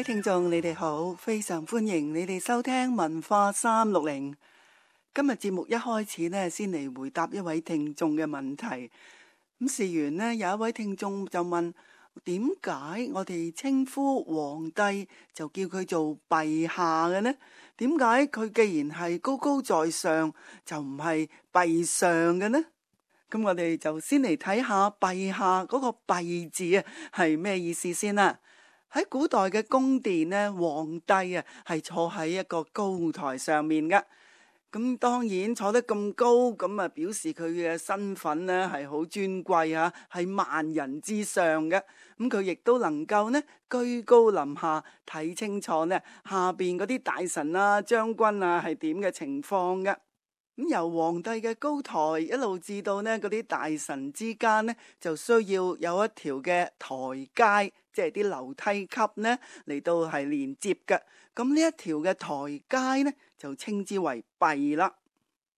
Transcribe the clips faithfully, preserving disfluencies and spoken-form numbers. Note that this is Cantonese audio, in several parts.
聽眾你哋好，非常歡迎你哋收聽文化三六零。今日節目一開始呢，先嚟回答一位聽眾嘅問題。咁事緣呢，有一位聽眾就問，點解我哋稱呼皇帝就叫佢做陛下嘅呢？點解佢既然係高高在上，就唔係陛上嘅呢？咁我哋就先嚟睇下陛下嗰個陛字啊，係咩意思先啦。喺古代嘅宮殿呢，皇帝啊係坐喺一個高台上面噶。咁當然坐得咁高，咁啊表示佢嘅身份呢係好尊貴啊，係萬人之上嘅。咁佢亦都能夠呢居高臨下睇清楚呢下邊嗰啲大臣啊、將軍啊係點嘅情況嘅。咁由皇帝嘅高台一路至到呢嗰啲大臣之間呢，就需要有一條嘅台階，即係啲樓梯級呢嚟到係連接嘅。咁呢一條嘅台階呢，就稱之為陛啦。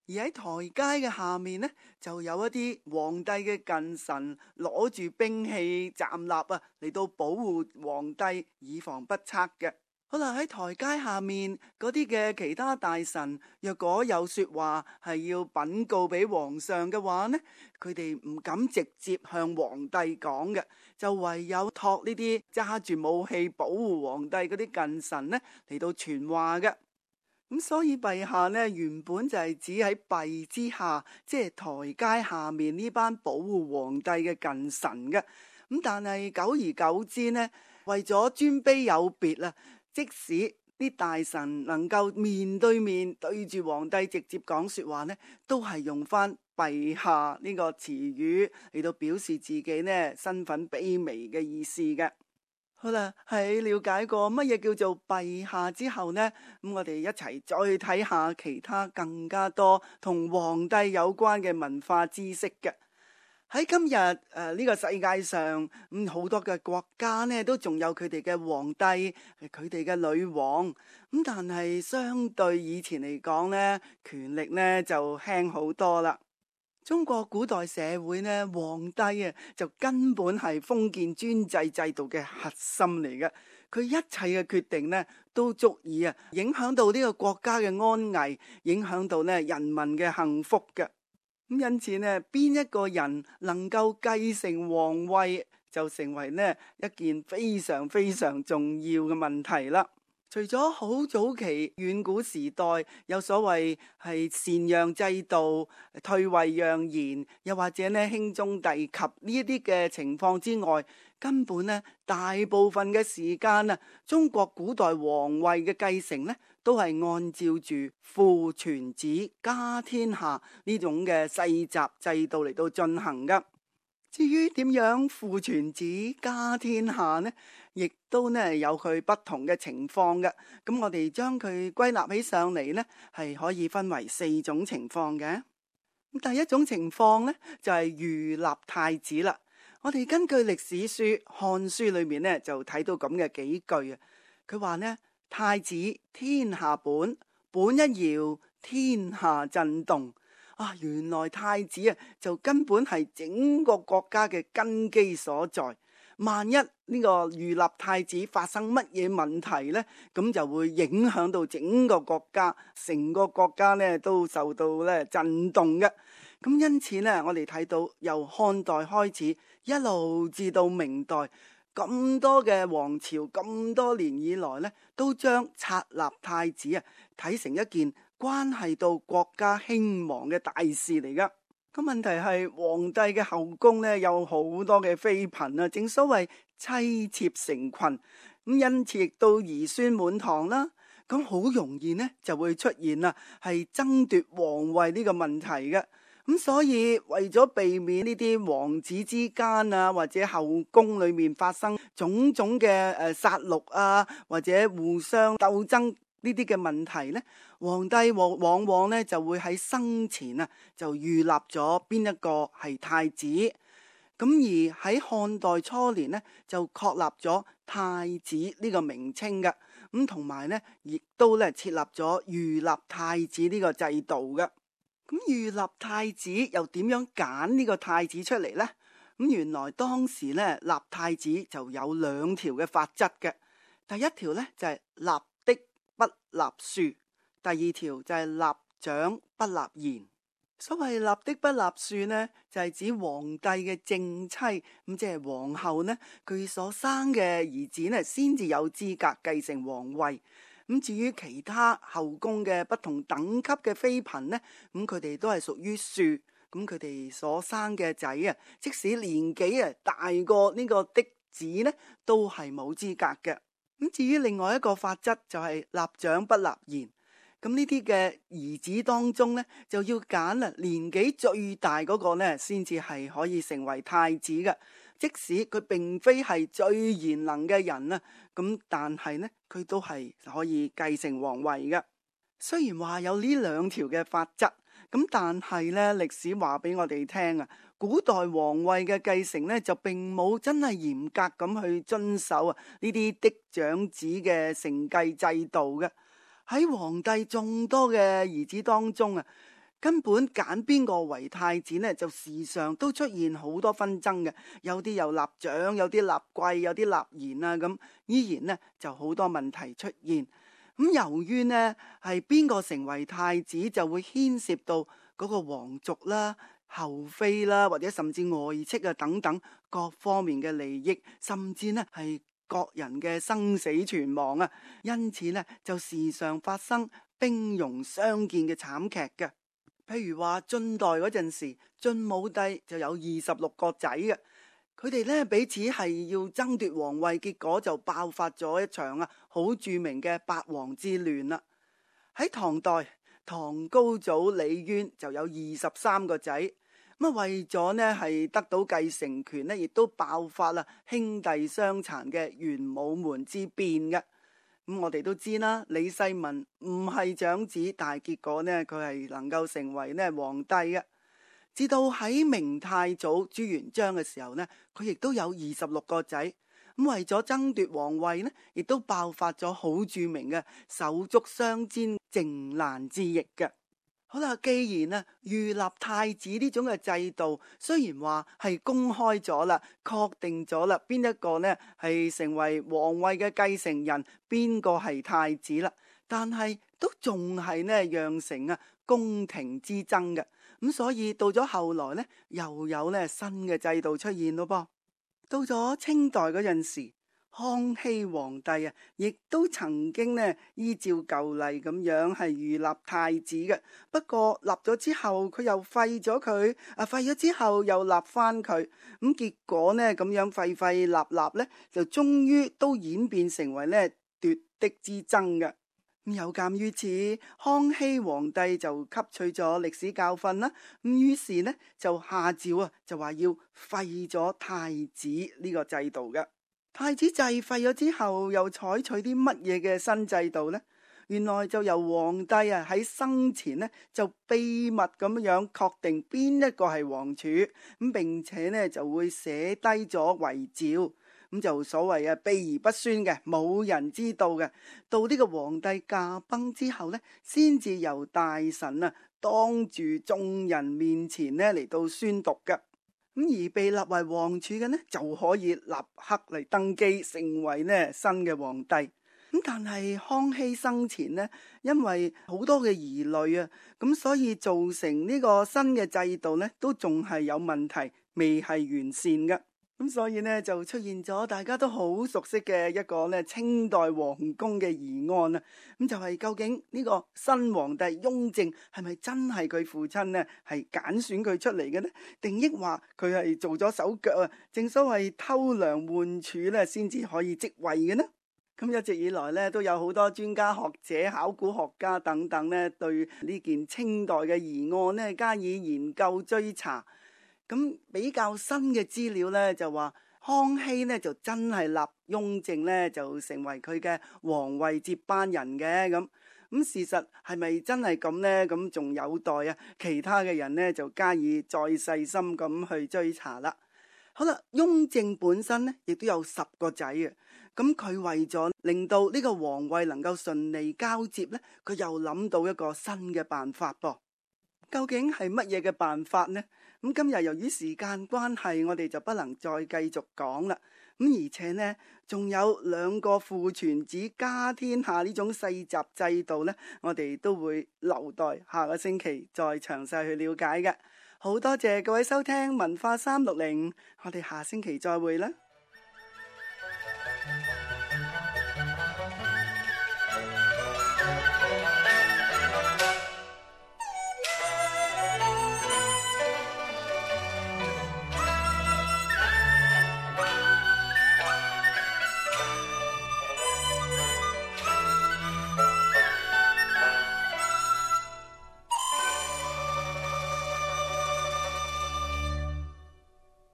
而喺台階嘅下面呢，就有一啲皇帝嘅近臣攞住兵器站立啊，嚟到保護皇帝，以防不測嘅。好啦，喺台階下面嗰啲嘅其他大臣，若果有說話係要稟告俾皇上嘅話呢，佢哋唔敢直接向皇帝講嘅，就唯有託呢啲揸住武器保護皇帝嗰啲近臣呢嚟到傳話嘅。咁所以陛下呢，原本就係指喺陛之下，即係台階下面呢班保護皇帝嘅近臣嘅。咁但係久而久之呢，為咗尊卑有別啦。即使啲大臣能夠面對面對住皇帝直接講說話呢，都係用翻陛下呢個詞語嚟到表示自己呢身份卑微嘅意思嘅。好啦，喺了解過乜嘢叫做陛下之後呢，咁我哋一齊再睇下其他更加多同皇帝有關嘅文化知識嘅。喺今日誒呢個世界上，咁好多嘅國家呢都仲有佢哋嘅皇帝，佢哋嘅女王。咁但係相對以前嚟講呢，權力呢就輕好多啦。中國古代社會呢，皇帝啊就根本係封建專制制度嘅核心嚟嘅。佢一切嘅決定呢都足以啊影響到呢個國家嘅安危，影響到呢人民嘅幸福嘅。咁因此呢，邊一個人能夠繼承皇位，就成為呢一件非常非常重要嘅問題啦。除咗好早期遠古時代有所謂係禪讓制度、退位讓賢，又或者呢兄終弟及呢一啲嘅情況之外，根本呢大部分嘅時間啊，中國古代皇位嘅繼承呢，都係按照住父傳子家天下呢種嘅世襲制度嚟到進行噶。至於點樣父傳子家天下呢，亦都呢有佢不同嘅情況嘅。咁我哋將佢歸納起上嚟呢，係可以分為四種情況嘅。咁第一種情況呢，就係預立太子啦。我哋根據歷史書《漢書》裏面呢，就睇到咁嘅幾句啊。佢話呢，太子天下本，本一搖，天下震動。啊，原來太子啊，就根本係整個國家嘅根基所在。萬一呢個預立太子發生乜嘢問題呢，咁就會影響到整個國家，成個國家呢都受到咧震動嘅。咁因此呢，我哋睇到由漢代開始，一路至到明代，咁多嘅王朝，咁多年以來呢，都將冊立太子啊睇成一件關係到國家興亡嘅大事嚟噶。咁問題係皇帝嘅後宮呢，有好多嘅妃嬪啊，正所謂妻妾成群，咁因此亦都兒孫滿堂啦。咁好容易呢就會出現啊係爭奪皇位呢個問題嘅。咁所以為咗避免呢啲王子之間啊，或者後宮裏面發生種種嘅誒殺戮啊，或者互相鬥爭呢啲嘅問題呢，皇帝往往往呢就會喺生前啊就預立咗邊一個係太子。咁而喺漢代初年呢，就確立咗太子呢個名稱嘅。咁同埋呢亦都咧設立咗預立太子呢個制度嘅。咁預立太子又點樣揀呢個太子出嚟呢？咁原來當時咧立太子就有兩條嘅法則嘅。第一條呢，就係立的不立庶，第二條就係立長不立賢。所謂立的不立庶呢，就係指皇帝嘅正妻，咁即係皇后呢，佢所生嘅兒子呢，先至有資格繼承皇位。咁至於其他後宮嘅不同等級嘅妃嬪呢，咁佢哋都係屬於庶，咁佢哋所生嘅仔啊，即使年紀啊大過呢個嫡子呢，都係冇資格嘅。咁至於另外一個法則就係立長不立賢，咁呢啲嘅兒子當中呢，就要揀啊年紀最大嗰個呢，先至係可以成為太子嘅。即使佢並非係最賢能嘅人啊，咁但係呢，佢都係可以繼承皇位嘅。雖然話有呢兩條嘅法則，咁但係呢，歷史話俾我哋聽啊，古代皇位嘅繼承呢，就並冇真係嚴格咁去遵守啊呢啲嫡長子嘅承繼制度嘅。喺皇帝眾多嘅兒子當中啊，根本揀邊個為太子呢，就時常都出現好多紛爭嘅，有啲又立長，有啲立貴，有啲立賢啊，咁依然呢就好多問題出現。咁由於呢係邊個成為太子，就會牽涉到嗰個皇族啦、後妃啦，或者甚至外戚啊等等各方面嘅利益，甚至呢係各人嘅生死存亡啊，因此呢就時常發生兵戎相見嘅慘劇嘅。譬如話晉代嗰陣時，晉武帝就有二十六個仔嘅，佢哋咧彼此係要爭奪皇位，結果就爆發咗一場啊好著名嘅八王之亂啦。喺唐代，唐高祖李淵就有二十三個仔，咁啊為咗呢係得到繼承權呢，亦都爆發啦兄弟相殘嘅玄武門之變嘅。咁我哋都知啦，李世民唔係長子，但係結果呢，佢係能夠成為呢皇帝嘅。至到喺明太祖朱元璋嘅時候呢，佢亦都有二十六個仔。咁為咗爭奪皇位呢，亦都爆發咗好著名嘅手足相煎靖難之役嘅。好啦，既然啊預立太子呢種嘅制度雖然話係公開咗啦，確定咗啦，邊一個呢係成為皇位嘅繼承人，邊個係太子啦，但係都仲係呢釀成啊宮廷之爭嘅。咁所以到咗後來呢，又有呢新嘅制度出現咯噃。到咗清代嗰陣時，康熙皇帝啊，亦都曾經呢依照舊例咁樣係預立太子嘅。不過立咗之後，佢又廢咗佢，啊廢咗之後又立翻佢。咁結果呢咁樣廢廢立立呢，就終於都演變成為呢奪嫡之爭嘅。咁有鑒於此，康熙皇帝就吸取咗歷史教訓啦。咁於是呢就下詔啊，就話要廢咗太子呢個制度嘅。太子制廢咗之後，又採取啲乜嘢嘅新制度呢？原來就由皇帝啊喺生前呢就秘密咁樣確定邊一個係皇儲，咁並且呢就會寫低咗遺詔，咁就所謂啊秘而不宣嘅，冇人知道嘅。到呢個皇帝駕崩之後呢，先至由大臣啊當住眾人面前呢嚟到宣讀嘅。咁而被立為皇儲嘅呢，就可以立刻嚟登基，成為呢新嘅皇帝。咁但係康熙生前呢，因為好多嘅疑慮啊，咁所以造成呢個新嘅制度呢，都仲係有問題，未係完善嘅。咁所以呢，就出現咗大家都好熟悉嘅一個呢清代皇宮嘅疑案啊。咁就係究竟呢個新皇帝雍正係咪真係佢父親呢係揀選佢出嚟嘅呢？定抑話佢係做咗手腳啊？正所謂偷梁換柱呢，先至可以即位嘅呢？咁一直以來呢，都有好多專家學者、考古學家等等呢，對呢件清代嘅疑案呢加以研究追查。咁比較新嘅資料呢，就話康熙呢就真係立雍正呢就成為佢嘅皇位接班人嘅。咁咁事實係咪真係咁呢？咁仲有待啊其他嘅人呢就加以再細心咁去追查啦。好啦，雍正本身呢亦都有十個仔嘅。咁佢為咗令到呢個皇位能夠順利交接呢，佢又諗到一個新嘅辦法噃。究竟係乜嘢嘅辦法呢？咁今日由於時間關係，我哋就不能再繼續講啦。咁而且呢，仲有兩個父傳子家天下呢種世襲制度呢，我哋都會留待下個星期再詳細去了解嘅。好多謝各位收聽文化三六零，我哋下星期再會啦。